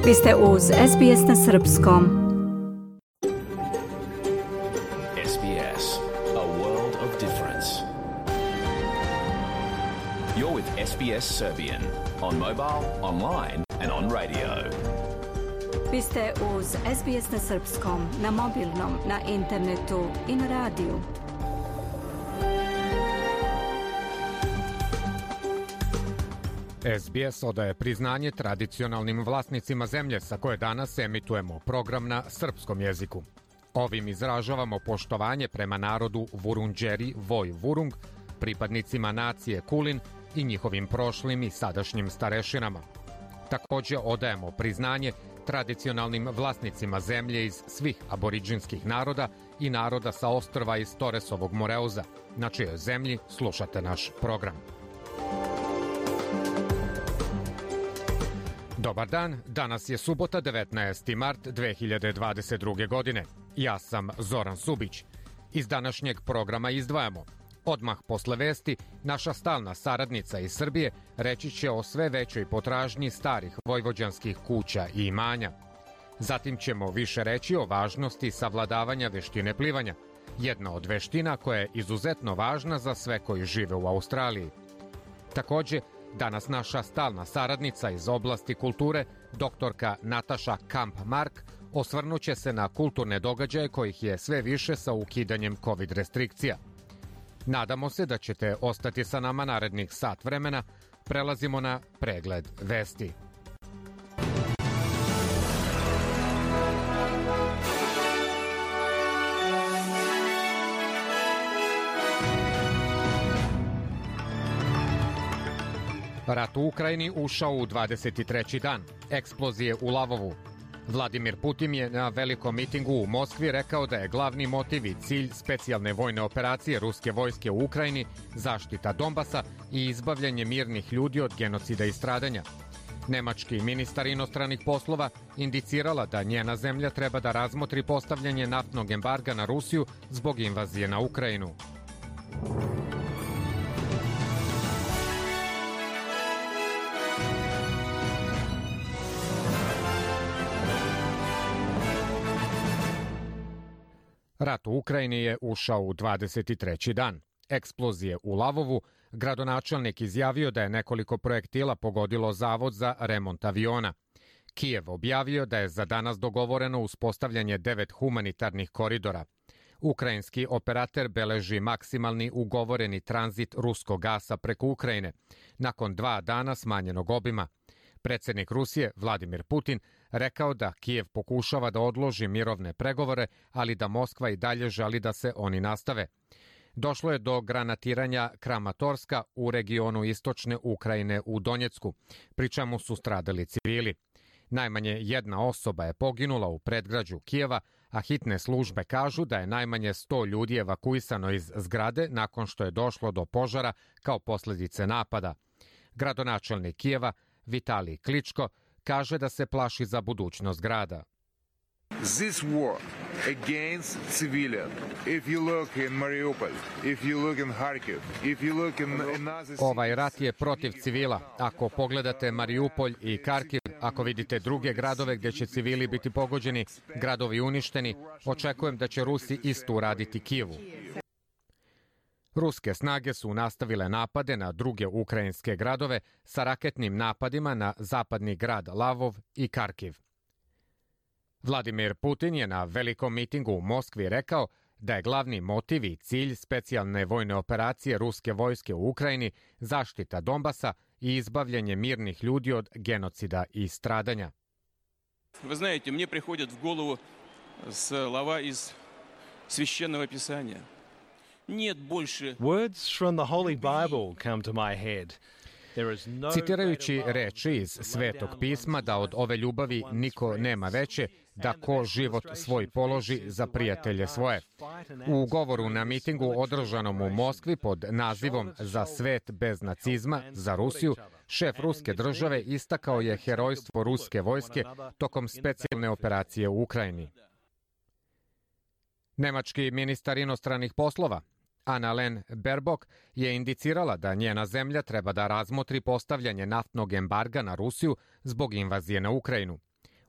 Vi ste uz SBS na srpskom. SBS, a world of difference. You're with SBS Serbian on mobile, online and on radio. Vi ste uz SBS na srpskom, na mobilnom, na internetu i na radiju. SBS odaje priznanje tradicionalnim vlasnicima zemlje sa koje danas emitujemo program na srpskom jeziku. Ovim izražavamo poštovanje prema narodu Vurundjeri Voi Vurung, pripadnicima nacije Kulin i njihovim prošlim i sadašnjim starešinama. Također odajemo priznanje tradicionalnim vlasnicima zemlje iz svih aboriđinskih naroda i naroda sa ostrva iz Toresovog Moreuza, na čijoj zemlji slušate naš program. Dobar dan, danas je subota 19. mart 2022. godine. Ja sam Zoran Subić. Iz današnjeg programa izdvajamo. Odmah posle vesti, naša stalna saradnica iz Srbije reći će o sve većoj potražnji starih vojvođanskih kuća i imanja. Zatim ćemo više reći o važnosti savladavanja veštine plivanja, jedna od veština koja je izuzetno važna za sve koji žive u Australiji. Također, danas naša stalna saradnica iz oblasti kulture, doktorka Nataša Kamp-Mark, osvrnuće se na kulturne događaje kojih je sve više sa ukidanjem COVID restrikcija. Nadamo se da ćete ostati sa nama narednih sat vremena. Prelazimo na pregled vesti. Rat u Ukrajini ušao u 23. dan. Eksplozije u Lavovu. Vladimir Putin je na velikom mitingu u Moskvi rekao da je glavni motiv i cilj specijalne vojne operacije ruske vojske u Ukrajini zaštita Donbasa i izbavljanje mirnih ljudi od genocida i stradanja. Nemački ministar inostranih poslova indicirala da njena zemlja treba da razmotri postavljanje naftnog embarga na Rusiju zbog invazije na Ukrajinu. Rat u Ukrajini je ušao u 23. dan. Eksplozije u Lavovu, gradonačelnik izjavio da je nekoliko projektila pogodilo zavod za remont aviona. Kijev objavio da je za danas dogovoreno uspostavljanje 9 humanitarnih koridora. Ukrajinski operater beleži maksimalni ugovoreni tranzit ruskog gasa preko Ukrajine, nakon 2 dana smanjenog obima. Predsjednik Rusije, Vladimir Putin, rekao da Kijev pokušava da odloži mirovne pregovore, ali da Moskva i dalje želi da se oni nastave. Došlo je do granatiranja Kramatorska u regionu istočne Ukrajine u Donjecku, pri čemu su stradali civili. Najmanje jedna osoba je poginula u predgrađu Kijeva, a hitne službe kažu da je najmanje 100 ljudi evakuisano iz zgrade nakon što je došlo do požara kao posljedice napada. Gradonačelnik Kijeva Vitalij Kličko kaže da se plaši za budućnost grada. This war against civilian. If you look in Mariupol, if you look in Kharkiv, if you look in another... Ovaj rat je protiv civila. Ako pogledate Mariupolj i Kharkiv, ako vidite druge gradove gdje će civili biti pogođeni, gradovi uništeni, očekujem da će Rusi isto uraditi Kijevu. Ruske snage su nastavile napade na druge ukrajinske gradove sa raketnim napadima na zapadni grad Lavov i Kharkiv. Vladimir Putin je na velikom mitingu u Moskvi rekao da je glavni motiv i cilj specijalne vojne operacije ruske vojske u Ukrajini zaštita Donbasa i izbavljanje mirnih ljudi od genocida i stradanja. Вы знаете, мне приходят в голову слова из священного писания. Words from the Holy Bible come to my head. Citirajući reči iz Svetog pisma da od ove ljubavi niko nema veće, da ko život svoj položi za prijatelje svoje. U govoru na mitingu održanom u Moskvi pod nazivom Za svet bez nacizma, za Rusiju, šef ruske države istakao je herojstvo ruske vojske tokom specijalne operacije u Ukrajini. Nemački ministar inostranih poslova Annalena Baerbock je indicirala da njena zemlja treba da razmotri postavljanje naftnog embarga na Rusiju zbog invazije na Ukrajinu.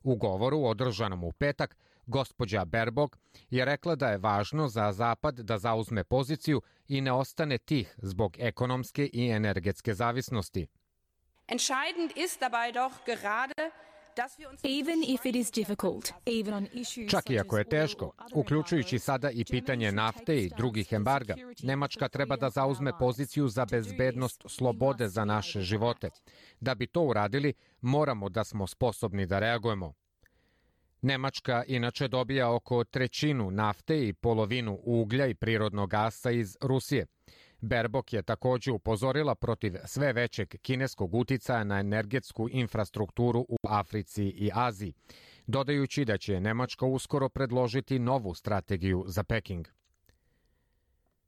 U govoru održanom u petak, gospođa Baerbock je rekla da je važno za Zapad da zauzme poziciju i ne ostane tih zbog ekonomske i energetske zavisnosti. Entscheidend ist dabei doch gerade Čak i ako je teško, uključujući sada i pitanje nafte i drugih embarga, Nemačka treba da zauzme poziciju za bezbednost slobode za naše živote. Da bi to uradili, moramo da smo sposobni da reagujemo. Nemačka inače dobija oko trećinu nafte i polovinu uglja i prirodnog gasa iz Rusije. Baerbock je takođe upozorila protiv sve većeg kineskog uticaja na energetsku infrastrukturu u Africi i Aziji, dodajući da će Nemačka uskoro predložiti novu strategiju za Peking.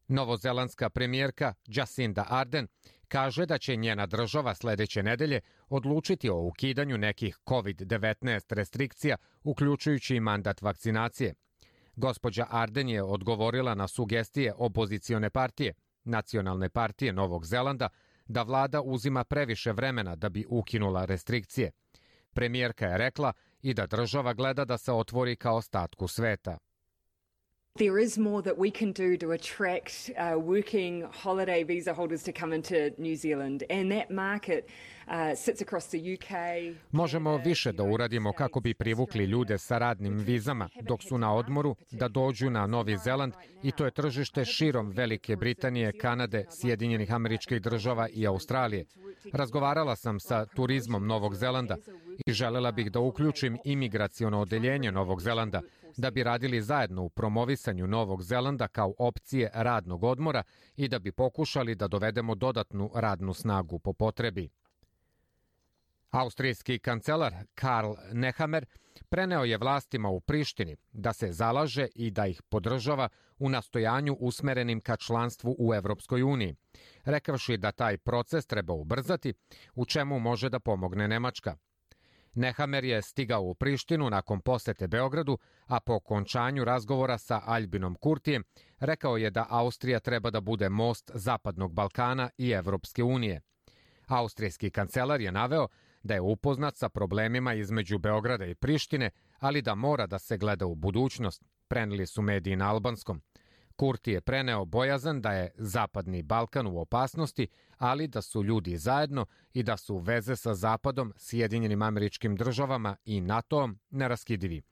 Novozelandska premijerka Jacinda Ardern kaže da će njena država sledeće nedelje odlučiti o ukidanju nekih COVID-19 restrikcija, uključujući i mandat vakcinacije. Gospođa Ardern je odgovorila na sugestije opozicione partije, Nacionalne partije Novog Zelanda, da vlada uzima previše vremena da bi ukinula restrikcije. Premijerka je rekla i da država gleda da se otvori ka ostatku sveta. There is more that we can do to attract working holiday visa holders to come into New Zealand, and that market sits across the UK. Možemo više da uradimo kako bi privukli ljude sa radnim vizama dok su na odmoru da dođu na Novi Zeland, i to je tržište širom Velike Britanije, Kanade, Sjedinjenih Američkih Država i Australije. Razgovarala sam sa turizmom Novog Zelanda i želela bih da uključim imigraciono odeljenje Novog Zelanda, da bi radili zajedno u promovisanju Novog Zelanda kao opcije radnog odmora i da bi pokušali da dovedemo dodatnu radnu snagu po potrebi. Austrijski kancelar Karl Nehammer preneo je vlastima u Prištini da se zalaže i da ih podržava u nastojanju usmerenim ka članstvu u Evropskoj uniji, rekavši da taj proces treba ubrzati, u čemu može da pomogne Nemačka. Nehammer je stigao u Prištinu nakon posete Beogradu, a po okončanju razgovora sa Albinom Kurtijem rekao je da Austrija treba da bude most Zapadnog Balkana i Evropske unije. Austrijski kancelar je naveo da je upoznat sa problemima između Beograda i Prištine, ali da mora da se gleda u budućnost, preneli su mediji na albanskom. Kurti je preneo bojazan da je Zapadni Balkan u opasnosti, ali da su ljudi zajedno i da su veze sa Zapadom, Sjedinjenim Američkim Državama i NATO-om neraskidivi.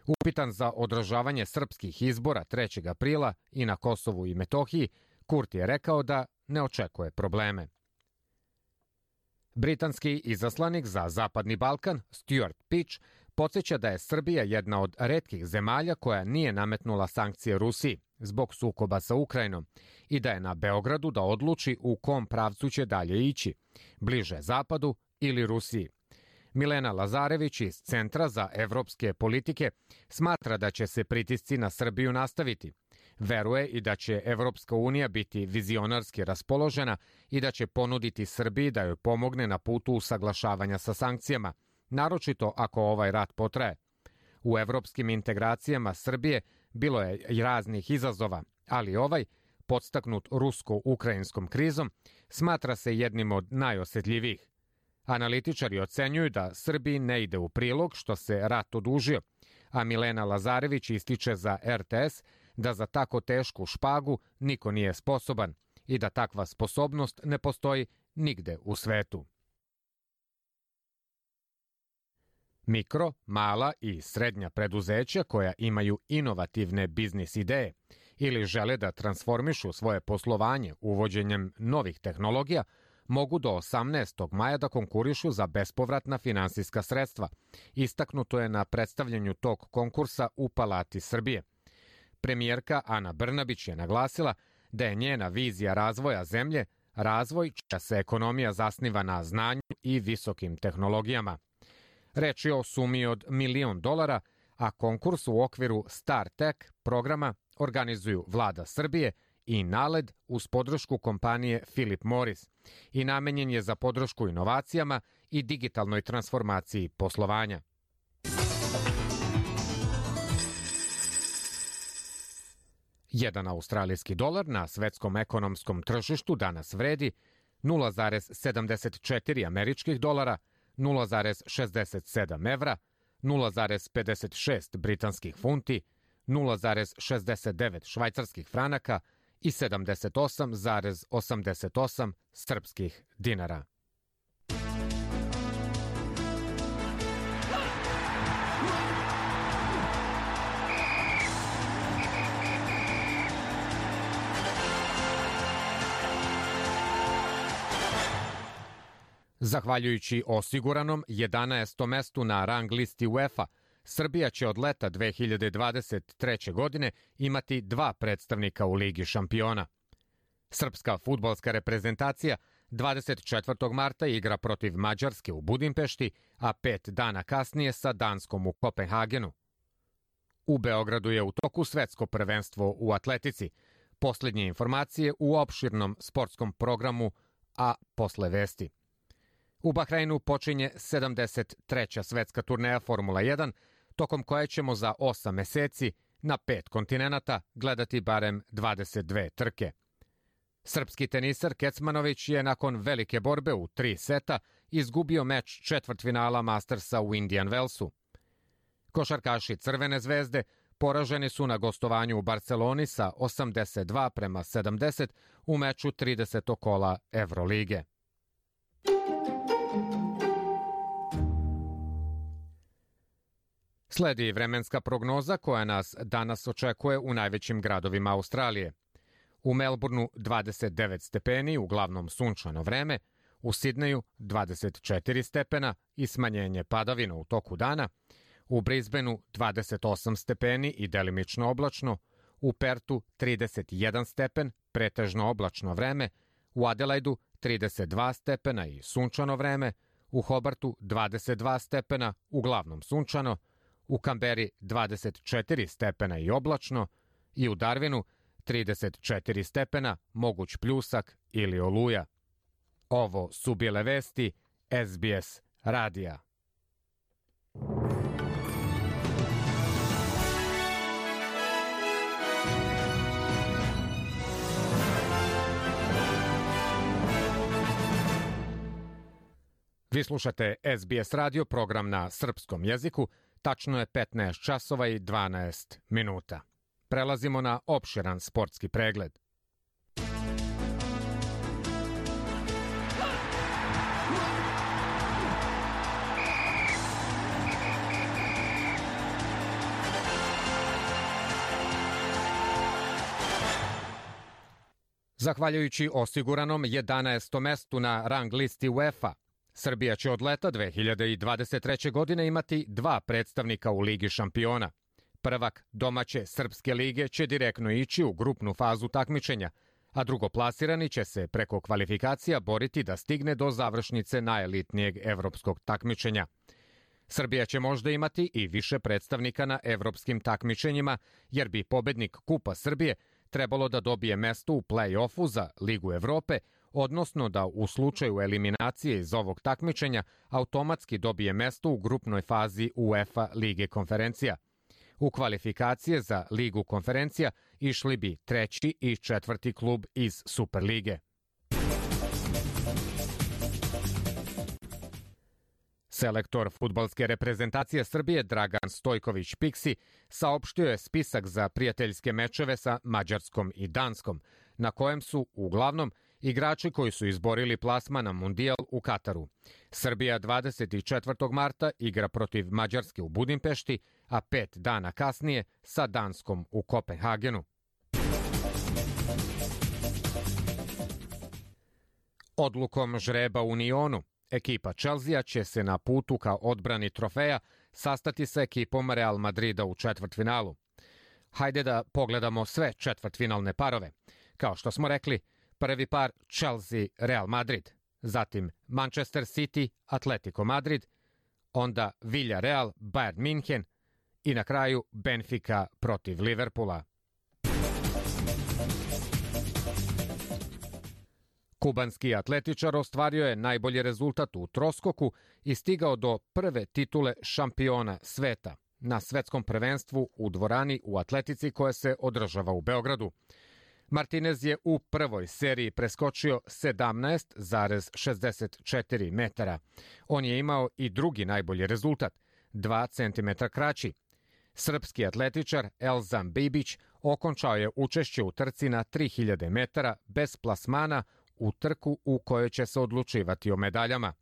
Upitan za održavanje srpskih izbora 3. aprila i na Kosovu i Metohiji, Kurti je rekao da ne očekuje probleme. Britanski izaslanik za Zapadni Balkan, Stuart Peach, podsjeća da je Srbija jedna od retkih zemalja koja nije nametnula sankcije Rusiji zbog sukoba sa Ukrajinom i da je na Beogradu da odluči u kom pravcu će dalje ići, bliže Zapadu ili Rusiji. Milena Lazarević iz Centra za evropske politike smatra da će se pritisci na Srbiju nastaviti. Veruje i da će Evropska unija biti vizionarski raspoložena i da će ponuditi Srbiji da joj pomogne na putu usaglašavanja sa sankcijama, naročito ako ovaj rat potraje. U evropskim integracijama Srbije bilo je i raznih izazova, ali ovaj, podstaknut rusko-ukrajinskom krizom, smatra se jednim od najosetljivijih. Analitičari ocenjuju da Srbiji ne ide u prilog što se rat odužio, a Milena Lazarević ističe za RTS da za tako tešku špagu niko nije sposoban i da takva sposobnost ne postoji nigde u svetu. Mikro, mala i srednja preduzeća koja imaju inovativne biznis ideje ili žele da transformišu svoje poslovanje uvođenjem novih tehnologija mogu do 18. maja da konkurišu za bespovratna finansijska sredstva. Istaknuto je na predstavljanju tog konkursa u Palati Srbije. Premijerka Ana Brnabić je naglasila da je njena vizija razvoja zemlje razvoj čija se ekonomija zasniva na znanju i visokim tehnologijama. Reč je o sumi od $1 milion, a konkurs u okviru StarTech programa organizuju Vlada Srbije i NALED uz podršku kompanije Philip Morris i namenjen je za podršku inovacijama i digitalnoj transformaciji poslovanja. Jedan australijski dolar na svetskom ekonomskom tržištu danas vredi 0,74 američkih dolara, 0,67 evra, 0,56 britanskih funti, 0,69 švajcarskih franaka i 78,88 srpskih dinara. Zahvaljujući osiguranom 11. mestu na rang listi UEFA, Srbija će od leta 2023. godine imati 2 predstavnika u Ligi šampiona. Srpska fudbalska reprezentacija 24. marta igra protiv Mađarske u Budimpešti, a 5 dana kasnije sa Danskom u Kopenhagenu. U Beogradu je u toku svetsko prvenstvo u atletici. Poslednje informacije u opširnom sportskom programu, a posle vesti. U Bahreinu počinje 73. svetska turneja Formula 1, tokom koje ćemo za 8 meseci na 5 kontinenata gledati barem 22 trke. Srpski tenisar Kecmanović je nakon velike borbe u 3 seta izgubio meč četvrtfinala Mastersa u Indian Wellsu. Košarkaši Crvene zvezde poraženi su na gostovanju u Barceloni sa 82-70 u meču 30. kola Evrolige. Sledi vremenska prognoza koja nas danas očekuje u najvećim gradovima Australije. U Melbourneu 29 stepeni, uglavnom sunčano vreme, u Sidneju 24 stepena i smanjenje padavina u toku dana, u Brisbaneu 28 stepeni i delimično oblačno, u Pertu 31 stepen, pretežno oblačno vreme, u Adelaidu 32 stepena i sunčano vreme, u Hobartu 22 stepena, uglavnom sunčano, u Kamberi 24 stepena i oblačno i u Darwinu 34 stepena, moguć pljusak ili oluja. Ovo su bile vesti SBS radija. Vi slušate SBS radio, program na srpskom jeziku. Tačno je 15 časova i 12 minuta. Prelazimo na opširan sportski pregled. Zahvaljujući osiguranom 11. mestu na rang listi UEFA, Srbija će od leta 2023. godine imati 2 predstavnika u Ligi šampiona. Prvak domaće Srpske lige će direktno ići u grupnu fazu takmičenja, a drugoplasirani će se preko kvalifikacija boriti da stigne do završnice najelitnijeg evropskog takmičenja. Srbija će možda imati i više predstavnika na evropskim takmičenjima, jer bi pobednik Kupa Srbije trebalo da dobije mesto u play-offu za Ligu Evrope, odnosno da u slučaju eliminacije iz ovog takmičenja automatski dobije mesto u grupnoj fazi UEFA Lige konferencija. U kvalifikacije za Ligu konferencija išli bi 3. i 4. klub iz Superlige. Selektor fudbalske reprezentacije Srbije Dragan Stojković Piksi saopštio je spisak za prijateljske mečeve sa Mađarskom i Danskom, na kojem su uglavnom igrači koji su izborili plasman na Mundijal u Kataru. Srbija 24. marta igra protiv Mađarske u Budimpešti, a 5 dana kasnije sa Danskom u Kopenhagenu. Odlukom žreba u Nionu, ekipa Chelsea će se na putu ka odbrani trofeja sastati sa ekipom Real Madrida u četvrtfinalu. Hajde da pogledamo sve četvrtfinalne parove. Kao što smo rekli, prvi par Chelsea-Real Madrid, zatim Manchester City-Atletico Madrid, onda Villarreal-Bayern München i na kraju Benfica protiv Liverpoola. Kubanski atletičar ostvario je najbolji rezultat u troskoku i stigao do prve titule šampiona sveta na svetskom prvenstvu u dvorani u atletici koja se održava u Beogradu. Martinez je u prvoj seriji preskočio 17,64 metara. On je imao i drugi najbolji rezultat. 2 cm kraći. Srpski atletičar Elzam Bibić okončao je učešće u trci na 3000 metara bez plasmana u trku u kojoj će se odlučivati o medaljama.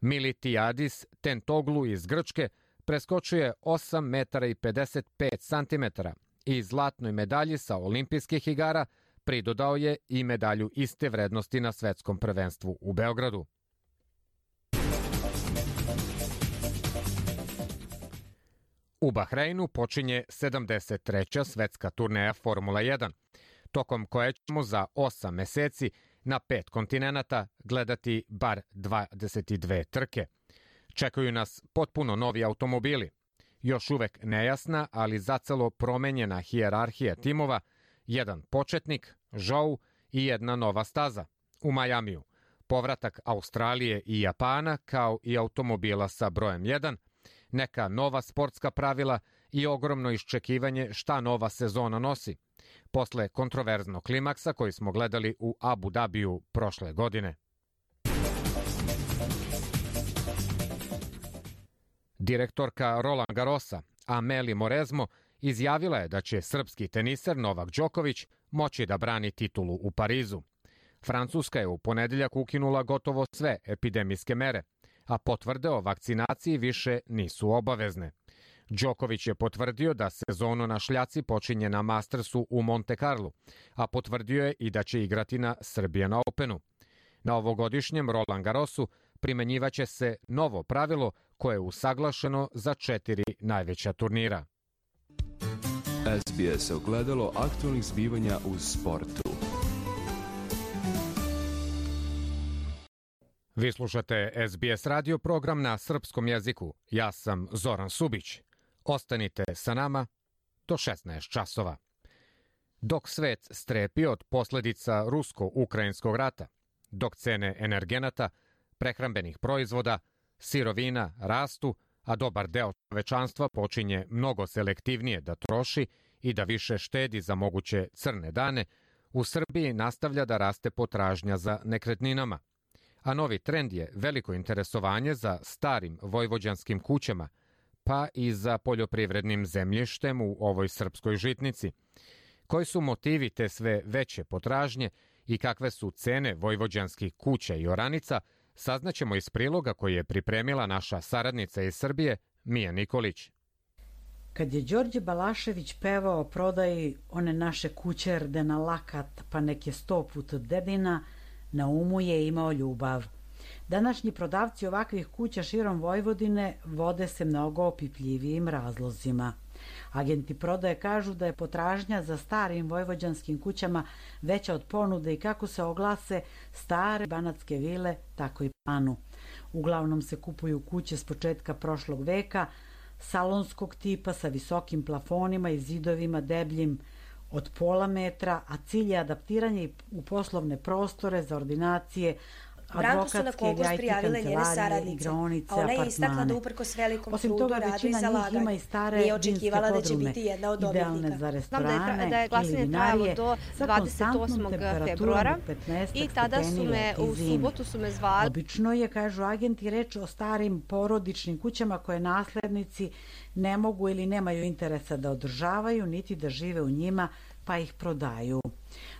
Militiadis Tentoglu iz Grčke preskočuje 8 metara i 55 centimetara i zlatnoj medalji sa olimpijskih igara pridodao je i medalju iste vrednosti na svetskom prvenstvu u Beogradu. U Bahreinu počinje 73. svetska turneja Formula 1, tokom koje ćemo za 8 meseci na 5 kontinenata gledati bar 22 trke. Čekaju nas potpuno novi automobili, još uvek nejasna, ali zacelo promenjena hijerarhija timova, jedan početnik, Zhou i jedna nova staza u Majamiju, povratak Australije i Japana kao i automobila sa brojem 1, neka nova sportska pravila i ogromno iščekivanje šta nova sezona nosi, posle kontroverznog klimaksa koji smo gledali u Abu Dabiju prošle godine. Direktorka Roland Garrosa, Amélie Mauresmo, izjavila je da će srpski teniser Novak Đoković moći da brani titulu u Parizu. Francuska je u ponedeljak ukinula gotovo sve epidemijske mere, a potvrde o vakcinaciji više nisu obavezne. Đoković je potvrdio da sezonu na šljaci počinje na Mastersu u Monte Carlu, a potvrdio je i da će igrati na Serbian Openu. Na ovogodišnjem Roland Garrosu primenjivaće se novo pravilo koje je usaglašeno za 4 najveća turnira. SBS ogledalo aktualnih zbivanja u sportu. Vi slušate SBS radio program na srpskom jeziku. Ja sam Zoran Subić. Ostanite sa nama do 16 časova. Dok svet strepi od posledica rusko-ukrajinskog rata, dok cene energenata, prehrambenih proizvoda, sirovina rastu, a dobar deo čovečanstva počinje mnogo selektivnije da troši i da više štedi za moguće crne dane, u Srbiji nastavlja da raste potražnja za nekretninama. A novi trend je veliko interesovanje za starim vojvođanskim kućama, pa i za poljoprivrednim zemljištem u ovoj srpskoj žitnici. Koji su motivi te sve veće potražnje i kakve su cene vojvođanskih kuća i oranica, saznaćemo iz priloga koji je pripremila naša saradnica iz Srbije, Mija Nikolić. Kad je Đorđe Balašević pevao o prodaji one naše kuće rde na lakat, pa nek je 100 put dedina, na umu je imao ljubav. Današnji prodavci ovakvih kuća širom Vojvodine vode se mnogo opipljivijim razlozima. Agenti prodaje kažu da je potražnja za starim vojvođanskim kućama veća od ponude i kako se oglase stare banatske vile, tako i planu. Uglavnom se kupuju kuće s početka prošlog veka, salonskog tipa sa visokim plafonima i zidovima debljim od pola metra, a cilj je adaptiranje u poslovne prostore za ordinacije, advokatske ili IT kancelarije, igraonice, apartmane. Osim toga, većina njih ima i stare džinske podrume, idealne za restorane ili vinarije, sa konstantnom temperaturom od 15 stepeni u zimi. Obično je, kažu agenti, reč o starim porodičnim kućama koje naslednici ne mogu ili nemaju interesa da održavaju, niti da žive u njima, pa ih prodaju.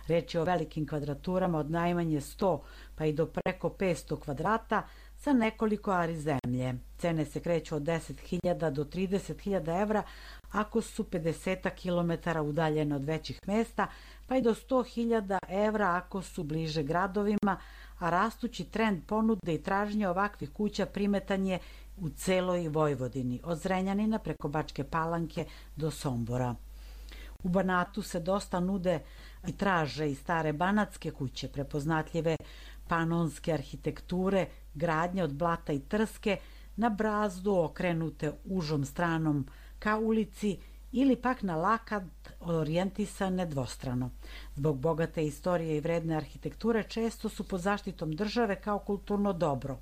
Reč je o velikim kvadraturama od najmanje 100 pa i do preko 500 kvadrata sa nekoliko ari zemlje. Cene se kreću od 10.000 do 30.000 evra ako su 50 km udaljene od većih mesta, pa i do 100.000 evra ako su bliže gradovima, a rastući trend ponude i tražnje ovakvih kuća primetan je u celoj Vojvodini, od Zrenjanina preko Bačke Palanke do Sombora. U Banatu se dosta nude i traže i stare banatske kuće, prepoznatljive panonske arhitekture, gradnje od blata i trske, na brazdu okrenute užom stranom ka ulici ili pak na lakat orijentisane dvostrano. Zbog bogate istorije i vredne arhitekture često su pod zaštitom države kao kulturno dobro,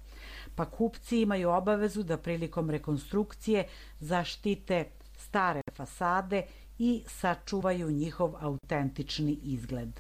pa kupci imaju obavezu da prilikom rekonstrukcije zaštite stare fasade i sačuvaju njihov autentični izgled.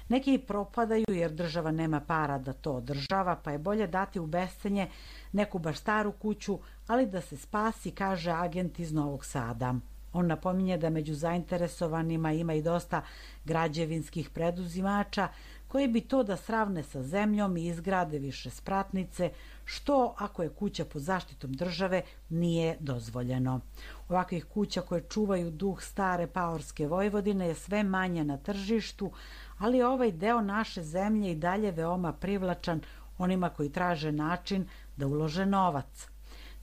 Neki propadaju jer država nema para da to održava, pa je bolje dati u bescenje neku baš staru kuću, ali da se spasi, kaže agent iz Novog Sada. On napominje da među zainteresovanima ima i dosta građevinskih preduzimača koji bi to da sravne sa zemljom i izgrade više spratnice, što, ako je kuća pod zaštitom države, nije dozvoljeno. Ovakvih kuća koje čuvaju duh stare paorske Vojvodine je sve manje na tržištu, ali ovaj deo naše zemlje i dalje veoma privlačan onima koji traže način da ulože novac.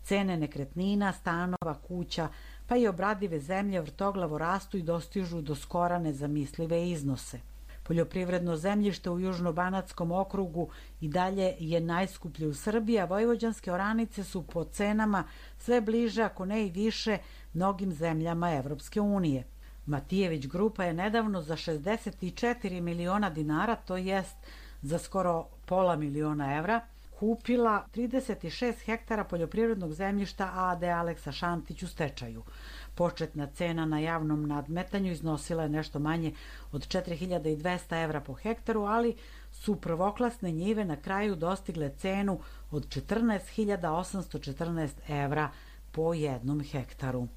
Cene nekretnina, stanova, kuća, pa i obradive zemlje vrtoglavo rastu i dostižu do skora nezamislive iznose. Poljoprivredno zemljište u Južnobanatskom okrugu i dalje je najskuplje u Srbiji, a vojvođanske oranice su po cenama sve bliže, ako ne i više, mnogim zemljama Evropske unije. Matijević grupa je nedavno za 64 miliona dinara, to jest za skoro pola miliona evra, kupila 36 hektara poljoprivrednog zemljišta AD Aleksa Šantić u stečaju. Početna cena na javnom nadmetanju iznosila je nešto manje od 4200 evra po hektaru, ali su prvoklasne njive na kraju dostigle cenu od 14.814 evra po jednom hektaru.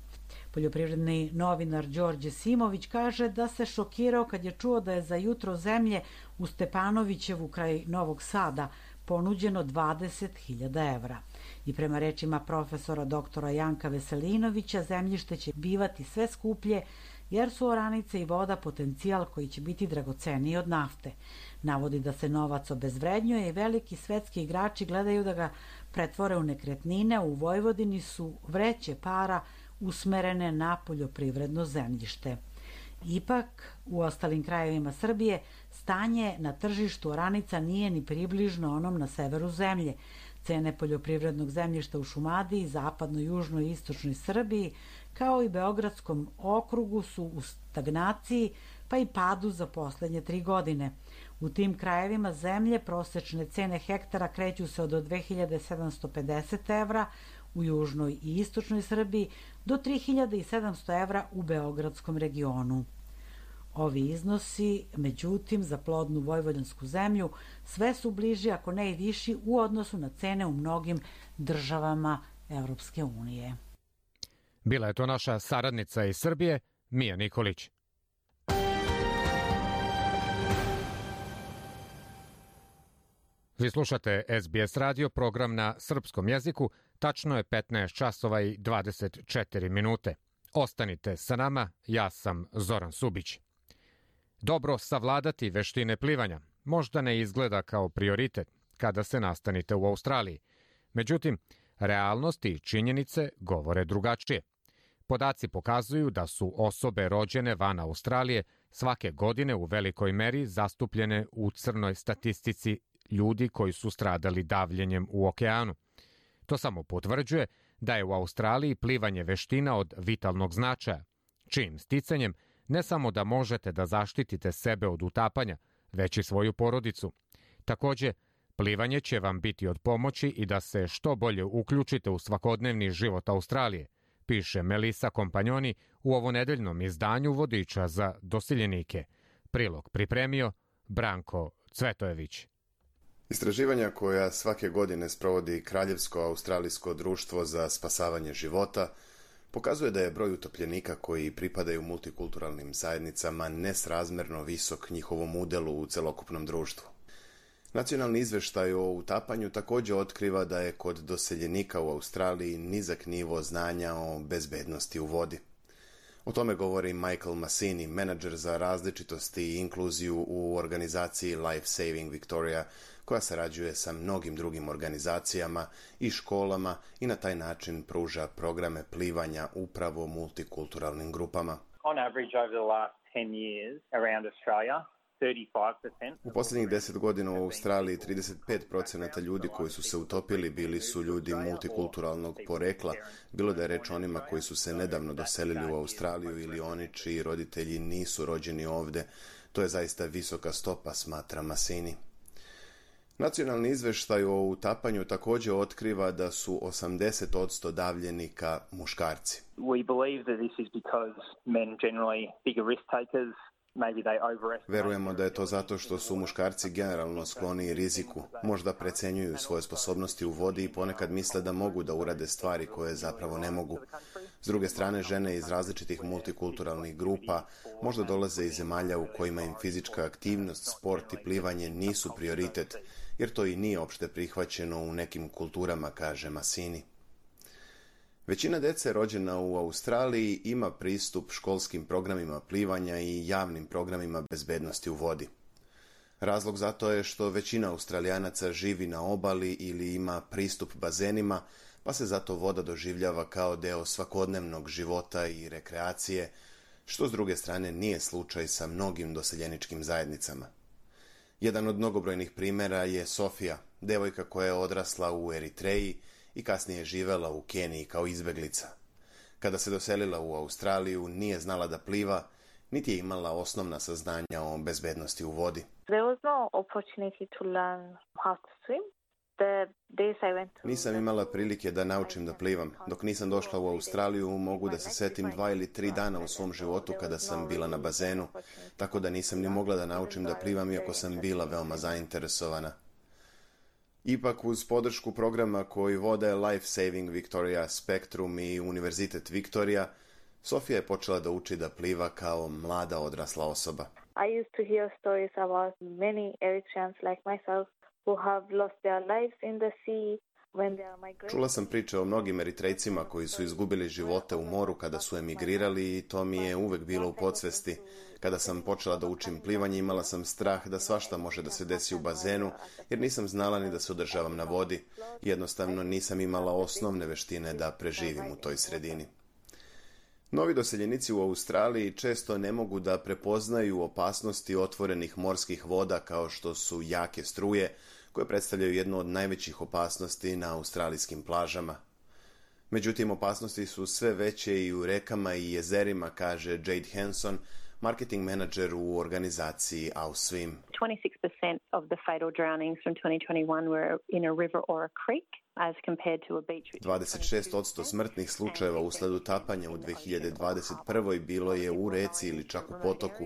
Poljoprivredni novinar Đorđe Simović kaže da se šokirao kad je čuo da je za jutro zemlje u Stepanovićevu kraj Novog Sada ponuđeno 20.000 evra. I prema rečima profesora doktora Janka Veselinovića, zemljište će bivati sve skuplje jer su oranice i voda potencijal koji će biti dragoceniji od nafte. Navodi da se novac obezvrednjuje i veliki svetski igrači gledaju da ga pretvore u nekretnine. U Vojvodini su vreće para usmerene na poljoprivredno zemljište. Ipak, u ostalim krajevima Srbije stanje na tržištu oranica nije ni približno onom na severu zemlje. Cene poljoprivrednog zemljišta u Šumadiji, zapadnoj, južnoj i istočnoj Srbiji, kao i Beogradskom okrugu su u stagnaciji, pa i padu za poslednje 3 godine. U tim krajevima zemlje prosečne cene hektara kreću se od 2750 evra u južnoj i istočnoj Srbiji do 3700 evra u Beogradskom regionu. Ovi iznosi, međutim, za plodnu vojvođansku zemlju sve su bliži, ako ne i viši, u odnosu na cene u mnogim državama Evropske unije. Bila je to naša saradnica iz Srbije, Mija Nikolić. Vi slušate SBS radio, program na srpskom jeziku. Tačno je 15 časova i 24 minute. Ostanite sa nama, ja sam Zoran Subić. Dobro savladati veštine plivanja možda ne izgleda kao prioritet kada se nastanite u Australiji. Međutim, realnost i činjenice govore drugačije. Podaci pokazuju da su osobe rođene van Australije svake godine u velikoj meri zastupljene u crnoj statistici ljudi koji su stradali davljenjem u okeanu. To samo potvrđuje da je u Australiji plivanje veština od vitalnog značaja, čijim sticanjem ne samo da možete da zaštitite sebe od utapanja, već i svoju porodicu. Takođe, plivanje će vam biti od pomoći i da se što bolje uključite u svakodnevni život Australije, piše Melisa Kompanjoni u ovonedeljnom izdanju vodiča za doseljenike. Prilog pripremio Branko Cvetojević. Istraživanja koja svake godine sprovodi Kraljevsko australijsko društvo za spasavanje života pokazuje da je broj utopljenika koji pripadaju multikulturalnim zajednicama nesrazmerno visok njihovom udelu u celokupnom društvu. Nacionalni izveštaj o utapanju također otkriva da je kod doseljenika u Australiji nizak nivo znanja o bezbednosti u vodi. O tome govori Michael Massini, menadžer za različitost i inkluziju u organizaciji Life Saving Victoria, koja sarađuje sa mnogim drugim organizacijama i školama i na taj način pruža programe plivanja upravo multikulturalnim grupama. On average over the last 10 years around Australia, 35%. U posljednjih 10 godina u Australiji 35% ljudi koji su se utopili bili su ljudi multikulturalnog porekla, bilo da je reč onima koji su se nedavno doselili u Australiju ili oni čiji roditelji nisu rođeni ovde. To je zaista visoka stopa, smatra Massini. Nacionalni izveštaj o utapanju također otkriva da su 80% davljenika muškarci. We believe that this is because men generally bigger risk takers. Verujemo da je to zato što su muškarci generalno skloni riziku, možda precenjuju svoje sposobnosti u vodi i ponekad misle da mogu da urade stvari koje zapravo ne mogu. S druge strane, žene iz različitih multikulturalnih grupa možda dolaze iz zemalja u kojima im fizička aktivnost, sport i plivanje nisu prioritet, jer to i nije opšte prihvaćeno u nekim kulturama, kaže Massini. Većina dece rođena u Australiji ima pristup školskim programima plivanja i javnim programima bezbednosti u vodi. Razlog za to je što većina Australijanaca živi na obali ili ima pristup bazenima, pa se zato voda doživljava kao deo svakodnevnog života i rekreacije, što s druge strane nije slučaj sa mnogim doseljeničkim zajednicama. Jedan od mnogobrojnih primjera je Sofija, devojka koja je odrasla u Eritreji i kasnije živela u Keniji kao izbeglica. Kada se doselila u Australiju, nije znala da pliva, niti je imala osnovna saznanja o bezbednosti u vodi. Nisam imala prilike da naučim da plivam. Dok nisam došla u Australiju, mogu da se setim 2 ili 3 dana u svom životu kada sam bila na bazenu, tako da nisam ni mogla da naučim da plivam, iako sam bila veoma zainteresovana. Ipak, uz podršku programa koji vode Life Saving Victoria Spectrum i Univerzitet Victoria, Sofija je počela da uči da pliva kao mlada odrasla osoba. I used to hear stories about many Eritreans like myself who have lost their lives in the sea. Čula sam priče o mnogim Eritrejcima koji su izgubili živote u moru kada su emigrirali i to mi je uvek bilo u podsvesti. Kada sam počela da učim plivanje, imala sam strah da svašta može da se desi u bazenu, jer nisam znala ni da se održavam na vodi. Jednostavno nisam imala osnovne veštine da preživim u toj sredini. Novi doseljenici u Australiji često ne mogu da prepoznaju opasnosti otvorenih morskih voda kao što su jake struje, koje predstavljaju jednu od najvećih opasnosti na australijskim plažama. Međutim, opasnosti su sve veće i u rekama i jezerima, kaže Jade Hanson, marketing menadžer u organizaciji AusSwim. 26% of the fatal drownings from 2021 were in a river or a creek. 26% smrtnih slučajeva usled utapanja u 2021. bilo je u reci ili čak u potoku.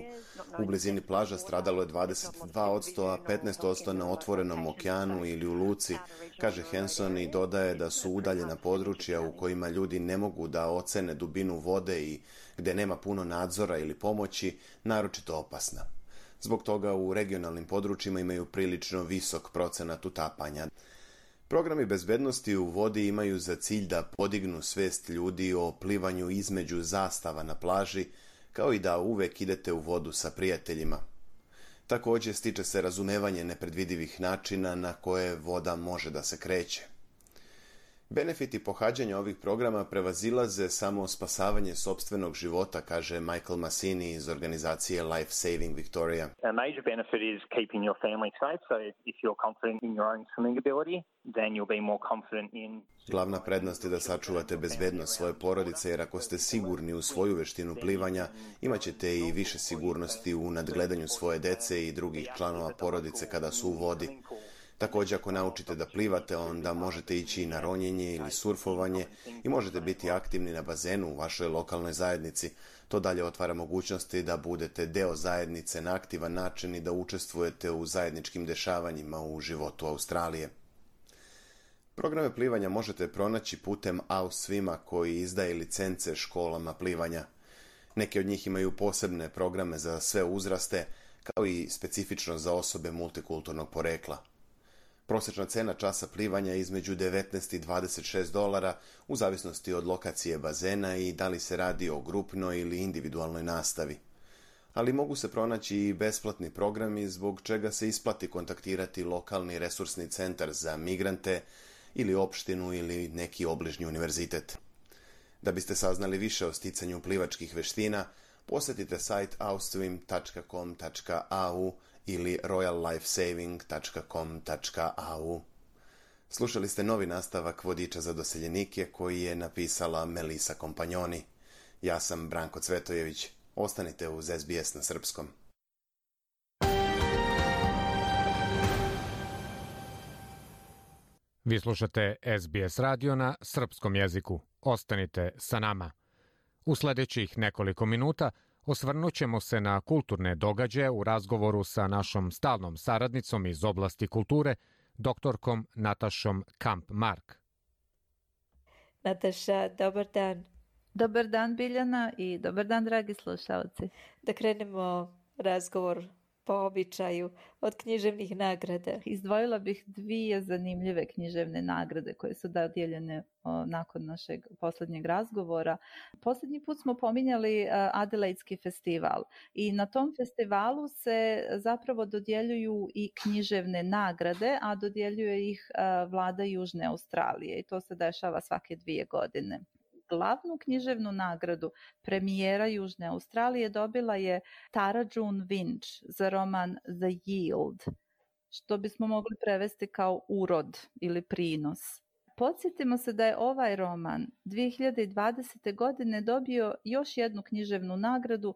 U blizini plaža stradalo je 22%, a 15% na otvorenom okeanu ili u luci, kaže Hanson i dodaje da su udaljena područja u kojima ljudi ne mogu da ocene dubinu vode i gde nema puno nadzora ili pomoći, naročito opasna. Zbog toga u regionalnim područjima imaju prilično visok procenat utapanja. Programi bezbednosti u vodi imaju za cilj da podignu svest ljudi o plivanju između zastava na plaži, kao i da uvek idete u vodu sa prijateljima. Također stiče se razumevanje nepredvidivih načina na koje voda može da se kreće. Benefiti pohađanja ovih programa prevazilaze samo spasavanje sopstvenog života, kaže Michael Massini iz organizacije Life Saving Victoria. A major benefit is keeping your family safe, so if you're confident in your own swimming ability, then you'll be more confident in... Glavna prednost je da sačuvate bezbednost svoje porodice, jer ako ste sigurni u svoju veštinu plivanja, imat ćete i više sigurnosti u nadgledanju svoje dece i drugih članova porodice kada su u vodi. Također, ako naučite da plivate, onda možete ići na ronjenje ili surfovanje i možete biti aktivni na bazenu u vašoj lokalnoj zajednici. To dalje otvara mogućnosti da budete deo zajednice na aktivan način i da učestvujete u zajedničkim dešavanjima u životu Australije. Programe plivanja možete pronaći putem AusSwima koji izdaje licence školama plivanja. Neke od njih imaju posebne programe za sve uzraste, kao i specifično za osobe multikulturnog porekla. Prosječna cena časa plivanja je između $19 i $26 u zavisnosti od lokacije bazena i da li se radi o grupnoj ili individualnoj nastavi. Ali mogu se pronaći i besplatni programi zbog čega se isplati kontaktirati lokalni resursni centar za migrante ili opštinu ili neki obližnji univerzitet. Da biste saznali više o sticanju plivačkih veština, posjetite sajt ausswim.com.au ili royallifesaving.com.au. Slušali ste novi nastavak Vodiča za doseljenike koji je napisala Melisa Kompanjoni. Ja sam Branko Cvetojević. Ostanite uz SBS na srpskom. Vi slušate SBS radio na srpskom jeziku. Ostanite sa nama. U sljedećih nekoliko minuta Osvrnut ćemo se na kulturne događaje u razgovoru sa našom stalnom saradnicom iz oblasti kulture, doktorkom Natašom Kamp-Mark. Nataša, dobar dan. Dobar dan, Biljana, i dobar dan, dragi slušalci. Da krenemo razgovor po običaju od književnih nagrada. Izdvojila bih 2 zanimljive književne nagrade koje su dodijeljene nakon našeg posljednjeg razgovora. Posljednji put smo pominjali Adelaidski festival i na tom festivalu se zapravo dodjeljuju i književne nagrade, a dodjeljuje ih vlada Južne Australije i to se dešava svake 2 godine. Glavnu književnu nagradu premijera Južne Australije dobila je Tara June Winch za roman The Yield, što bismo mogli prevesti kao urod ili prinos. Podsjetimo se da je ovaj roman 2020. godine dobio još jednu književnu nagradu,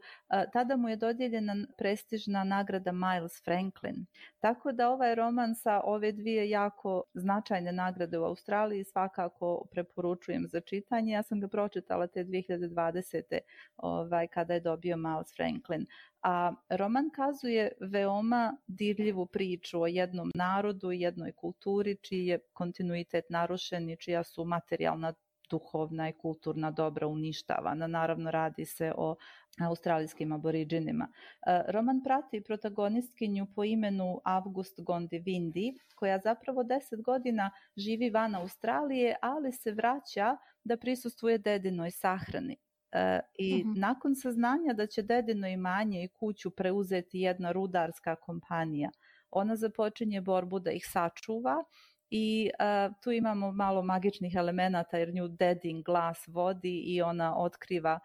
tada mu je dodijeljena prestižna nagrada Miles Franklin. Tako da ovaj roman sa ove 2 jako značajne nagrade u Australiji svakako preporučujem za čitanje. Ja sam ga pročitala te 2020. Kada je dobio Miles Franklin. A roman kazuje veoma dirljivu priču o jednom narodu i jednoj kulturi čiji je kontinuitet narušen i čija su materijalna, duhovna i kulturna dobra uništavana. Naravno, radi se o australijskim aboriđinima. Roman prati protagonistkinju po imenu August Gondivindi, koja zapravo 10 godina živi van Australije, ali se vraća da prisustvuje dedinoj sahrani. I nakon saznanja da će dedino imanje i kuću preuzeti jedna rudarska kompanija, ona započinje borbu da ih sačuva i tu imamo malo magičnih elemenata jer nju dedin glas vodi i ona otkriva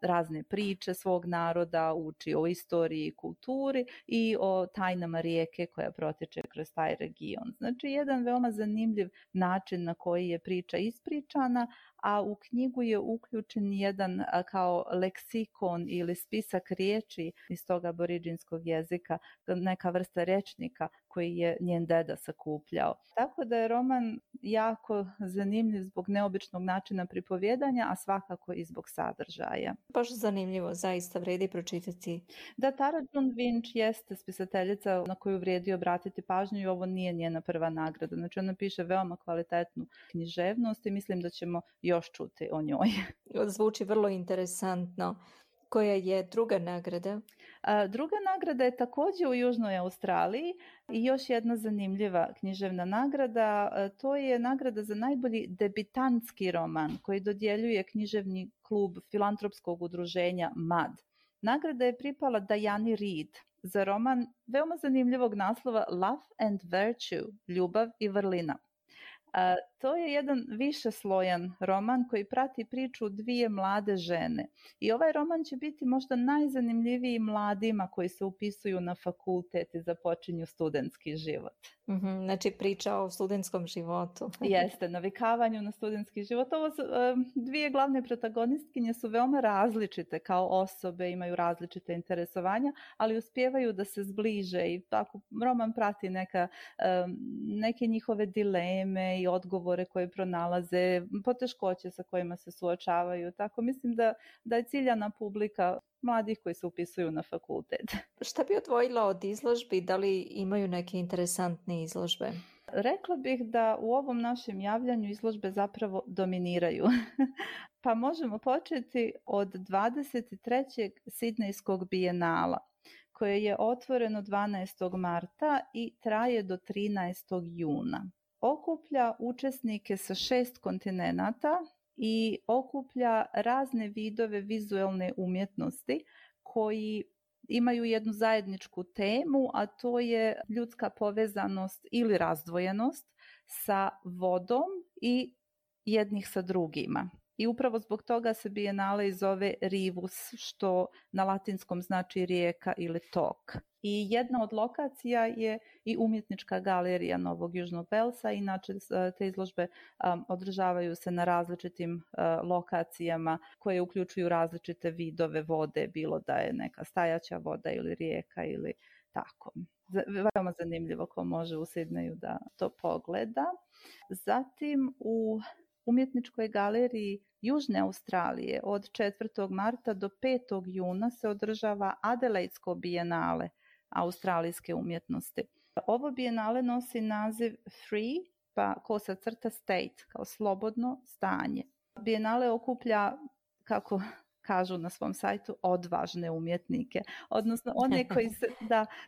razne priče svog naroda, uči o istoriji i kulturi i o tajnama rijeke koja protiče kroz taj region. Znači, jedan veoma zanimljiv način na koji je priča ispričana, a u knjigu je uključen jedan kao leksikon ili spisak riječi iz tog aboriđinskog jezika, neka vrsta rečnika koji je njen deda sakupljao. Tako da je roman jako zanimljiv zbog neobičnog načina pripovjedanja, a svakako i zbog sadržaja. Baš zanimljivo, zaista vredi pročitati. Da, Tara June Winch jeste spisateljica na koju vrijedi obratiti pažnju i ovo nije njena prva nagrada. Znači, ona piše veoma kvalitetnu književnost i mislim da ćemo još čuti o njoj. Zvuči vrlo interesantno. Koja je druga nagrada? Druga nagrada je također u Južnoj Australiji i još jedna zanimljiva književna nagrada. To je nagrada za najbolji debitantski roman koji dodjeljuje književni klub filantropskog udruženja MAD. Nagrada je pripala Diani Reid za roman veoma zanimljivog naslova Love and Virtue, ljubav i vrlina. To je jedan višeslojan roman koji prati priču 2 mlade žene. I ovaj roman će biti možda najzanimljiviji mladima koji se upisuju na fakultet i započinju studentski život. Znači priča o studentskom životu. Jeste, navikavanju na studentski život. Ovo su, 2 glavne protagonistkinje su veoma različite kao osobe, imaju različite interesovanja, ali uspijevaju da se zbliže i tako roman prati neke njihove dileme i odgovore koje pronalaze, poteškoće sa kojima se suočavaju. Tako mislim da je ciljana publika mladih koji se upisuju na fakultet. Šta bi odvojila od izložbi? Da li imaju neke interesantne izložbe? Rekla bih da u ovom našem javljanju izložbe zapravo dominiraju. Pa možemo početi od 23. Sidnejskog bijenala, koje je otvoreno 12. marta i traje do 13. juna. Okuplja učesnike sa 6 kontinenata i okuplja razne vidove vizualne umjetnosti koji imaju jednu zajedničku temu, a to je ljudska povezanost ili razdvojenost sa vodom i jednih sa drugima. I upravo zbog toga se bijenale zove Rivus, što na latinskom znači rijeka ili tok. I jedna od lokacija je i umjetnička galerija Novog Južnog Velsa. Inače, te izložbe održavaju se na različitim lokacijama koje uključuju različite vidove vode, bilo da je neka stajaća voda ili rijeka ili tako. Veoma zanimljivo ko može u Sidneju da to pogleda. Zatim u umjetničkoj galeriji Južne Australije od 4. marta do 5. juna se održava Adelaidsko bijenale australijske umjetnosti. Ovo bijenale nosi naziv Free, pa _state, kao slobodno stanje. Bijenale okuplja, kako kažu na svom sajtu, odvažne umjetnike, odnosno one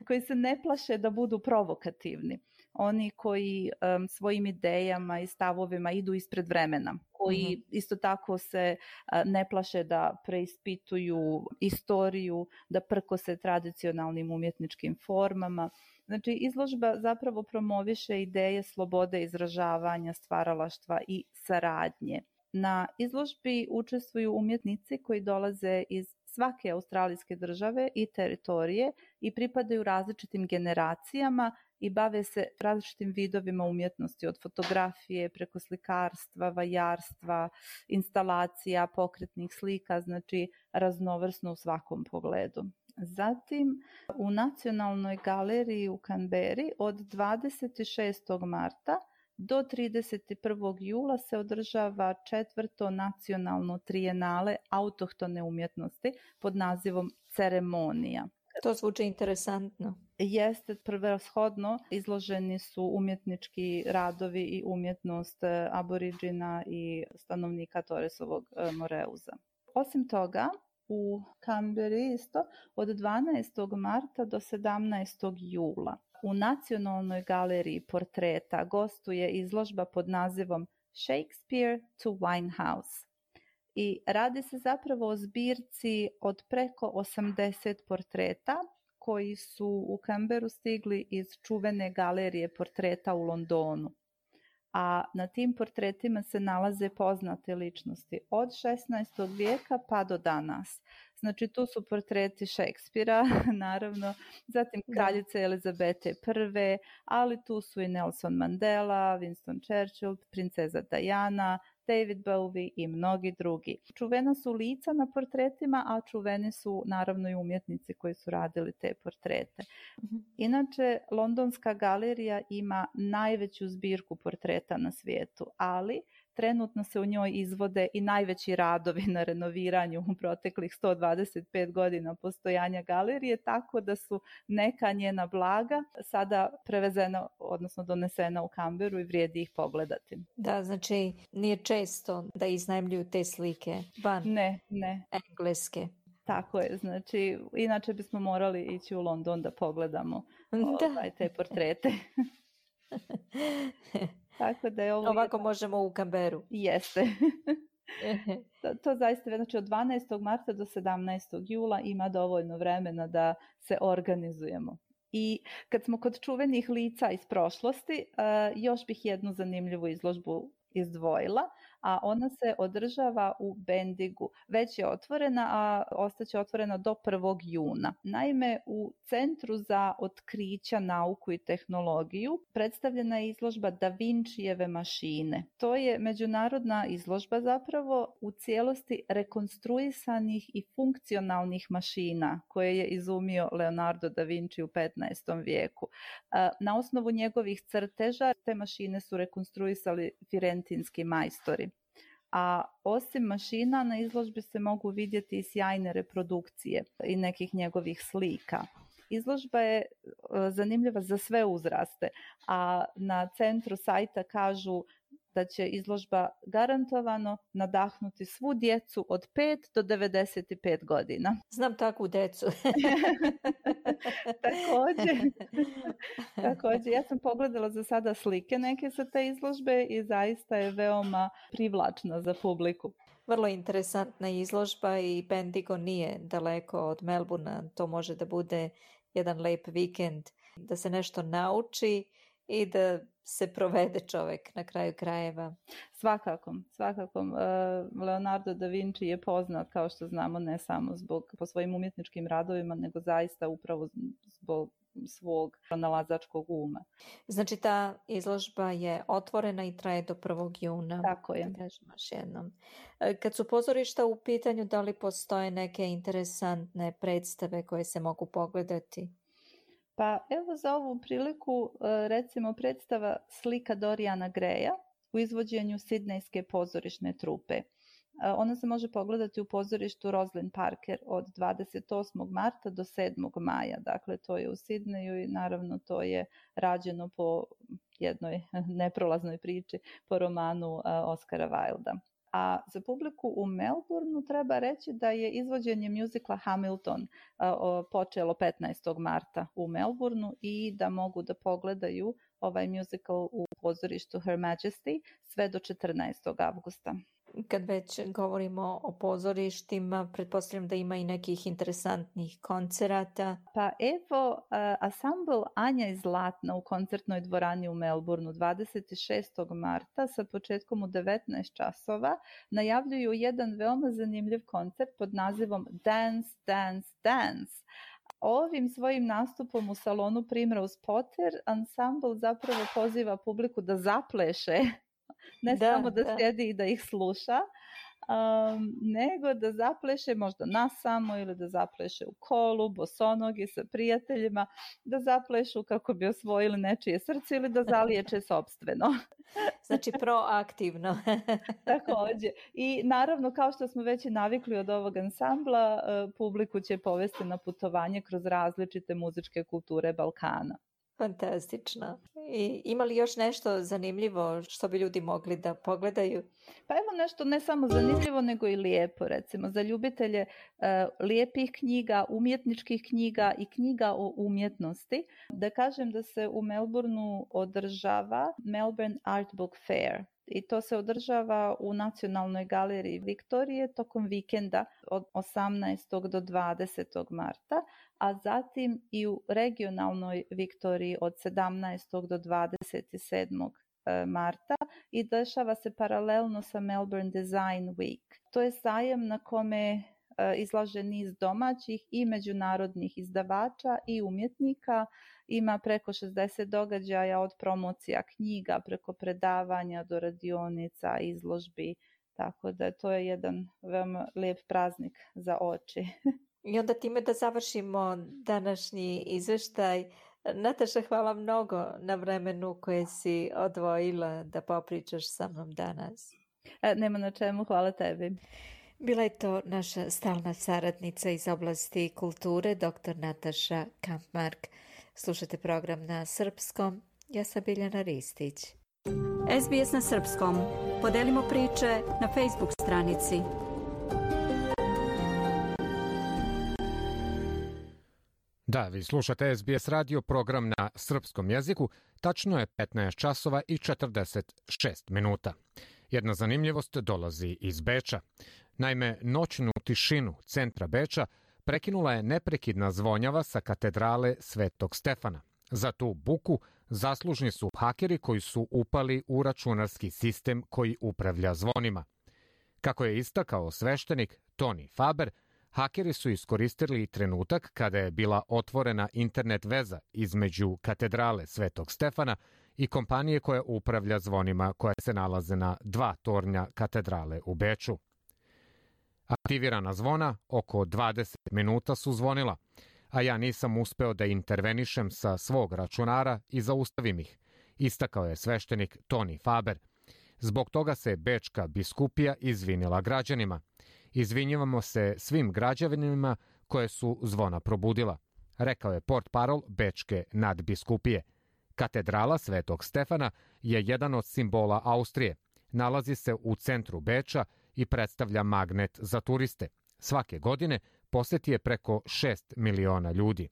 koji se ne plaše da budu provokativni, oni koji svojim idejama i stavovima idu ispred vremena, koji isto tako se ne plaše da preispituju istoriju, da prkose tradicionalnim umjetničkim formama. Znači, izložba zapravo promoviše ideje slobode izražavanja, stvaralaštva i saradnje. Na izložbi učestvuju umjetnici koji dolaze iz svake australijske države i teritorije i pripadaju različitim generacijama i bave se različitim vidovima umjetnosti, od fotografije preko slikarstva, vajarstva, instalacija, pokretnih slika, znači raznovrsno u svakom pogledu. Zatim, u Nacionalnoj galeriji u Canberri od 26. marta do 31. jula se održava 4. nacionalno trijenale autohtone umjetnosti pod nazivom Ceremonija. To zvuči interesantno. Jeste, prevashodno izloženi su umjetnički radovi i umjetnost aboriđina i stanovnika Torresovog Moreuza. Osim toga, u Canberri isto od 12. marta do 17. jula u Nacionalnoj galeriji portreta gostuje izložba pod nazivom Shakespeare to Winehouse. I radi se zapravo o zbirci od preko 80 portreta koji su u Canberru stigli iz čuvene galerije portreta u Londonu. A na tim portretima se nalaze poznate ličnosti od 16. vijeka pa do danas. Znači, tu su portreti Šekspira, naravno, zatim kraljice Elizabete I, ali tu su i Nelson Mandela, Winston Churchill, princeza Diana, David Bowie i mnogi drugi. Čuvena su lica na portretima, a čuveni su naravno i umjetnici koji su radili te portrete. Inače, Londonska galerija ima najveću zbirku portreta na svijetu, ali trenutno se u njoj izvode i najveći radovi na renoviranju u proteklih 125 godina postojanja galerije, tako da su neka njena blaga sada prevezena, odnosno donesena u Canberru i vrijedi ih pogledati. Da, znači nije često da iznajmljuju te slike van Engleske. Tako je, znači inače bismo morali ići u London da pogledamo te portrete. Tako da je ovo ovako možemo u Canberru. Jeste. To zaista, znači od 12. marta do 17. jula ima dovoljno vremena da se organizujemo. I kad smo kod čuvenih lica iz prošlosti, još bih jednu zanimljivu izložbu izdvojila, a ona se održava u Bendigu. Već je otvorena, a ostaće otvorena do 1. juna. Naime, u Centru za otkrića, nauku i tehnologiju predstavljena je izložba Da Vinčijeve mašine. To je međunarodna izložba zapravo u cijelosti rekonstruisanih i funkcionalnih mašina koje je izumio Leonardo da Vinci u 15. vijeku. Na osnovu njegovih crteža te mašine su rekonstruisali firentinski majstori. A osim mašina na izložbi se mogu vidjeti i sjajne reprodukcije i nekih njegovih slika. Izložba je zanimljiva za sve uzraste, a na centru sajta kažu da će izložba garantovano nadahnuti svu djecu od 5 do 95 godina. Znam takvu djecu. Također, ja sam pogledala za sada slike neke sa te izložbe i zaista je veoma privlačna za publiku. Vrlo interesantna izložba i Bendigo nije daleko od Melbourna. To može da bude jedan lep vikend, da se nešto nauči i da se provede čovjek na kraju krajeva. Svakako. Leonardo da Vinci je poznat, kao što znamo, ne samo po svojim umjetničkim radovima, nego zaista upravo zbog svog pronalazačkog uma. Znači ta izložba je otvorena i traje do 1. juna. Tako je. Još jednom. Kad su pozorišta u pitanju, da li postoje neke interesantne predstave koje se mogu pogledati? Pa evo za ovu priliku recimo predstava Slika Dorijana Greja u izvođenju sidnejske pozorišne trupe. Ona se može pogledati u pozorištu Rosalind Parker od 28. marta do 7. maja. Dakle, to je u Sidneju i naravno to je rađeno po jednoj neprolaznoj priči, po romanu Oscara Wilda. A za publiku u Melbourneu treba reći da je izvođenje mjuzikla Hamilton počelo 15. marta u Melbourneu i da mogu da pogledaju ovaj mjuzikl u pozorištu Her Majesty sve do 14. avgusta. Kad već govorimo o pozorištima, pretpostavljam da ima i nekih interesantnih koncerata. Pa evo, ansambl Anja iz Zlatna u koncertnoj dvorani u Melbourneu 26. marta sa početkom u 19 časova najavljuju jedan veoma zanimljiv koncert pod nazivom Dance, Dance, Dance. Ovim svojim nastupom u salonu Primrose Potter ansambl zapravo poziva publiku da zapleše, ne samo da sjedi i da ih sluša, nego da zapleše možda nasamo ili da zapleše u kolu, bosonogi sa prijateljima, da zaplešu kako bi osvojili nečije srce ili da zaliječe sopstveno. Znači proaktivno. Također. I naravno, kao što smo već i navikli od ovog ansambla, publiku će povesti na putovanje kroz različite muzičke kulture Balkana. Fantastično. I ima li još nešto zanimljivo što bi ljudi mogli da pogledaju? Pa evo nešto ne samo zanimljivo nego i lijepo, recimo za ljubitelje lijepih knjiga, umjetničkih knjiga i knjiga o umjetnosti. Da kažem da se u Melbourneu održava Melbourne Art Book Fair. I to se održava u Nacionalnoj galeriji Viktorije tokom vikenda od 18. do 20. marta, a zatim i u regionalnoj Viktoriji od 17. do 27. marta i dešava se paralelno sa Melbourne Design Week. To je sajam na kome izlaže niz domaćih i međunarodnih izdavača i umjetnika. Ima preko 60 događaja od promocija knjiga preko predavanja do radionica, izložbi, tako da to je jedan veoma lijep praznik za oči. I onda time da završimo današnji izveštaj. Nataša, hvala mnogo na vremenu koje si odvojila da popričaš sa mnom danas. Nema na čemu, hvala tebi. Bila je to naša stalna saradnica iz oblasti kulture, dr. Nataša Kampmark. Slušate program na srpskom. Ja sam Biljana Ristić. SBS na srpskom. Podelimo priče na Facebook stranici. Da, vi slušate SBS radio, program na srpskom jeziku. Tačno je 15 časova i 46 minuta. Jedna zanimljivost dolazi iz Beča. Naime, noćnu tišinu centra Beča prekinula je neprekidna zvonjava sa katedrale Svetog Stefana. Za tu buku zaslužni su hakeri koji su upali u računarski sistem koji upravlja zvonima. Kako je istakao sveštenik Tony Faber, hakeri su iskoristili trenutak kada je bila otvorena internet veza između katedrale Svetog Stefana i kompanije koja upravlja zvonima koja se nalaze na 2 tornja katedrale u Beču. Aktivirana zvona oko 20 minuta su zvonila, a ja nisam uspeo da intervenišem sa svog računara i zaustavim ih, istakao je sveštenik Tony Faber. Zbog toga se Bečka biskupija izvinila građanima. Izvinjavamo se svim građanima koje su zvona probudila, rekao je portparol Bečke nadbiskupije. Katedrala Svetog Stefana je jedan od simbola Austrije. Nalazi se u centru Beča i predstavlja magnet za turiste. Svake godine poseti je preko 6 miliona ljudi.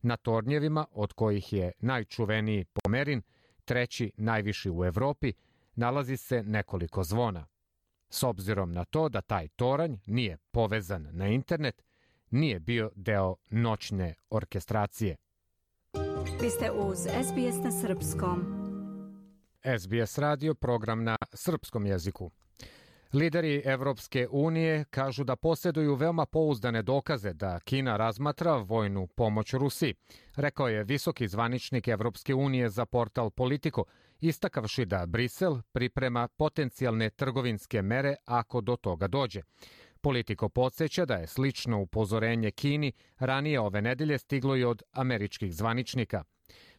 Na tornjevima, od kojih je najčuveniji Pomerin, treći najviši u Evropi, nalazi se nekoliko zvona. S obzirom na to da taj toranj nije povezan na internet, nije bio deo noćne orkestracije. Vi ste uz SBS na srpskom. SBS radio, program na srpskom jeziku. Lideri Evropske unije kažu da posjeduju veoma pouzdane dokaze da Kina razmatra vojnu pomoć Rusiji, rekao je visoki zvaničnik Evropske unije za portal Politico, istakavši da Brisel priprema potencijalne trgovinske mere ako do toga dođe. Politico podsjeća da je slično upozorenje Kini ranije ove nedelje stiglo i od američkih zvaničnika.